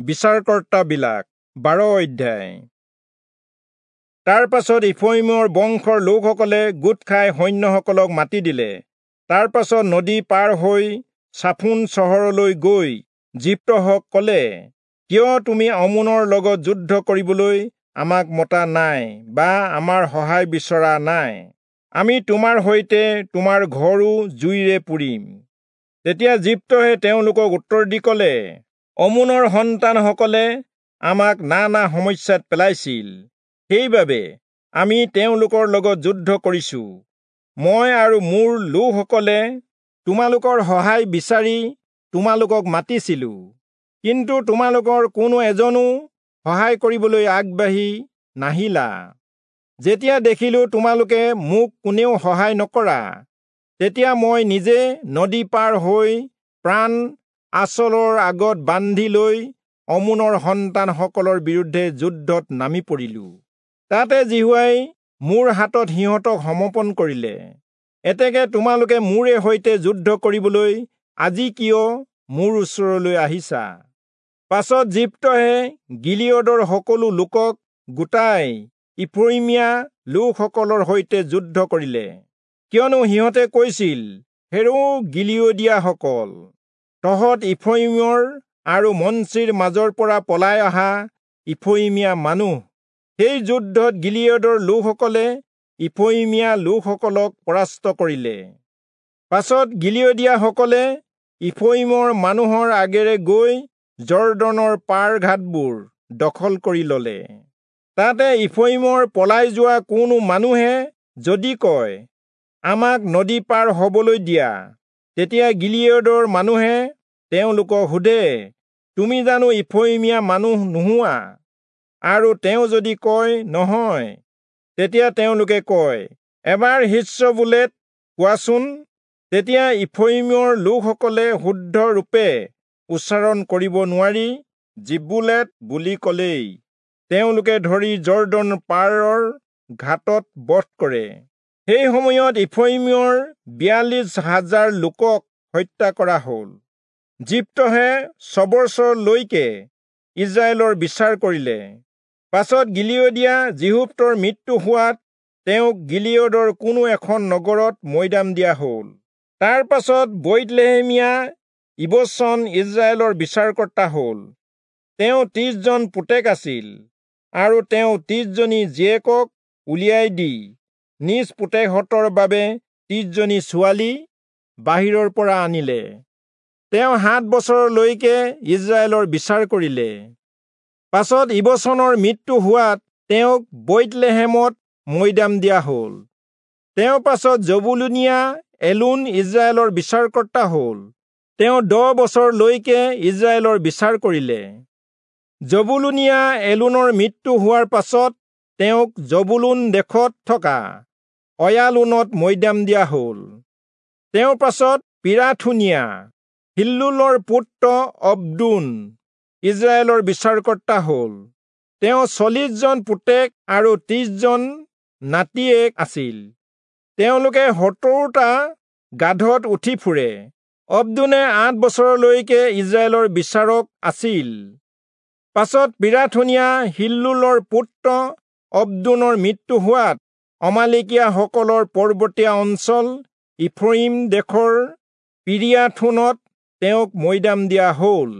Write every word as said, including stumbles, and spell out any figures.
বিচাৰকৰ্তাবিলাক বাৰ অধ্যায়। তাৰ পাছত ইফ্ৰয়িমৰ বংশৰ লোকসকলে গোট খাই সৈন্যসকলক মাতি দিলে। তাৰ পাছত নদী পাৰ হৈ চাফোন চহৰলৈ গৈ যিপ্তহক কলে, কিয় তুমি অম্মোনৰ লগত যুদ্ধ কৰিবলৈ আমাক মতা নাই বা আমাৰ সহায় বিচৰা নাই? আমি তোমাৰ সৈতে তোমাৰ ঘৰো জুইৰে পুৰিম। তেতিয়া যিপ্তহে তেওঁলোকক উত্তৰ দি কলে, অম্মোনৰ সন্তানসকলে আমাক নানা সমস্যাত পেলাইছিল, সেইবাবে আমি তেওঁলোকৰ লগত যুদ্ধ কৰিছো। মই আৰু মোৰ লোকসকলে তোমালোকৰ সহায় বিচাৰি তোমালোকক মাতিছিলো, কিন্তু তোমালোকৰ কোনো এজনো সহায় কৰিবলৈ আগবাঢ়ি নাহিলা। যেতিয়া দেখিলো তোমালোকে মোক কোনেও সহায় নকৰা, তেতিয়া মই নিজে নদী পাৰ হৈ প্ৰাণ আচলৰ আগত বান্ধি লৈ অম্মোনৰ সন্তানসকলৰ বিৰুদ্ধে যুদ্ধত নামি পৰিলো। তাতে যিহোৱাই মোৰ হাতত সিহঁতক সমৰ্পণ কৰিলে। এতেকে তোমালোকে মোৰে সৈতে যুদ্ধ কৰিবলৈ আজি কিয় মোৰ ওচৰলৈ আহিছা? পাছত যিপ্তহে গিলিয়দৰ সকলো লোকক গোটাই ইফ্ৰয়িমীয়া লোকসকলৰ সৈতে যুদ্ধ কৰিলে, কিয়নো সিহঁতে কৈছিল, হেৰৌ গিলিয়দীয়াসকল, তহঁত ইফ্ৰয়িমৰ আৰু মনচিৰ মাজৰ পৰা পলাই অহা ইফ্ৰয়িমীয়া মানুহ। সেই যুদ্ধত গিলিয়দৰ লোকসকলে ইফ্ৰয়িমীয়া লোকসকলক পৰাস্ত কৰিলে। পাছত গিলিয়দীয়াসকলে ইফ্ৰয়িমৰ মানুহৰ আগেৰে গৈ যৰ্দনৰ পাৰ ঘাটবোৰ দখল কৰি ললে। তাতে ইফ্ৰয়িমৰ পলাই যোৱা কোনো মানুহে যদি কয়, আমাক নদী পাৰ হবলৈ দিয়া, তেতিয়া গিলিয়দৰ মানুহে তেওঁলোকক সোধে, তুমি জানো ইফ্ৰয়িমীয়া মানুহ নোহোৱা? আৰু তেওঁ যদি কয়, নহয়, তেতিয়া তেওঁলোকে কয়, এবাৰ হিচ্ববোলেত কোৱাচোন। তেতিয়া ইফ্ৰয়িমৰ লোকসকলে শুদ্ধ ৰূপে উচ্চাৰণ কৰিব নোৱাৰি জিব্বোলেত বুলি কলেই তেওঁলোকে ধৰি যৰ্দন পাৰৰ ঘাটত বধ কৰে। সেই সময়ত ইফ্ৰয়িমৰ বিয়াল্লিছ হাজাৰ লোকক হত্যা কৰা হল। যিপ্তহে ছবছৰলৈকে ইস্ৰায়েলৰ বিচাৰ কৰিলে। পাছত গিলিয়দীয়া যিহোপ্তৰ মৃত্যু হোৱাত তেওঁক গিলিয়দৰ কোনো এখন নগৰত মৈদাম দিয়া হল। তাৰ পাছত বৈৎলেহেমীয়া ইবচন ইস্ৰায়েলৰ বিচাৰকৰ্তা হল। তেওঁ ত্ৰিশজন পুতেক আছিল, আৰু তেওঁ ত্ৰিশজনী জীয়েকক উলিয়াই দি নিজ পুতেকহঁতৰ বাবে ত্ৰিশজনী ছোৱালী বাহিৰৰ পৰা আনিলে। তেওঁ সাত বছৰলৈকে ইস্ৰায়েলৰ বিচাৰ কৰিলে। পাছত ইবচনৰ মৃত্যু হোৱাত তেওঁক বৈৎলেহেমত মৈদাম দিয়া হল। তেওঁৰ পাছত জবুলূনীয়া এলোন ইস্ৰায়েলৰ বিচাৰকৰ্তা হল। তেওঁ দহ বছৰলৈকে ইস্ৰায়েলৰ বিচাৰ কৰিলে। জবুলূনীয়া এলোনৰ মৃত্যু হোৱাৰ পাছত তেওঁক জবুলূন দেশত থকা অয়ালোনত মৈদাম দিয়া হল। তেওঁৰ পাছত পিৰাথোনীয়া হিল্লোলৰ পুত্ৰ অব্দোন ইস্ৰায়েলৰ বিচাৰকৰ্তা হল। তেওঁ চল্লিশজন পুতেক আৰু ত্ৰিশজন নাতিয়েক আছিল। তেওঁলোকে সত্তৰটা গাধত উঠি ফুৰে। অব্দোনে আঠ বছৰলৈকে ইস্ৰায়েলৰ বিচাৰক আছিল। পাছত পিৰাথোনীয়া হিল্লোলৰ পুত্ৰ অব্দোনৰ মৃত্যু হোৱাত অমালেকীয়াসকলৰ পৰ্বতীয়া অঞ্চল ইফ্ৰয়িম দেশৰ পিৰিয়াথোনত তেওঁক মৈদাম দিয়া হল।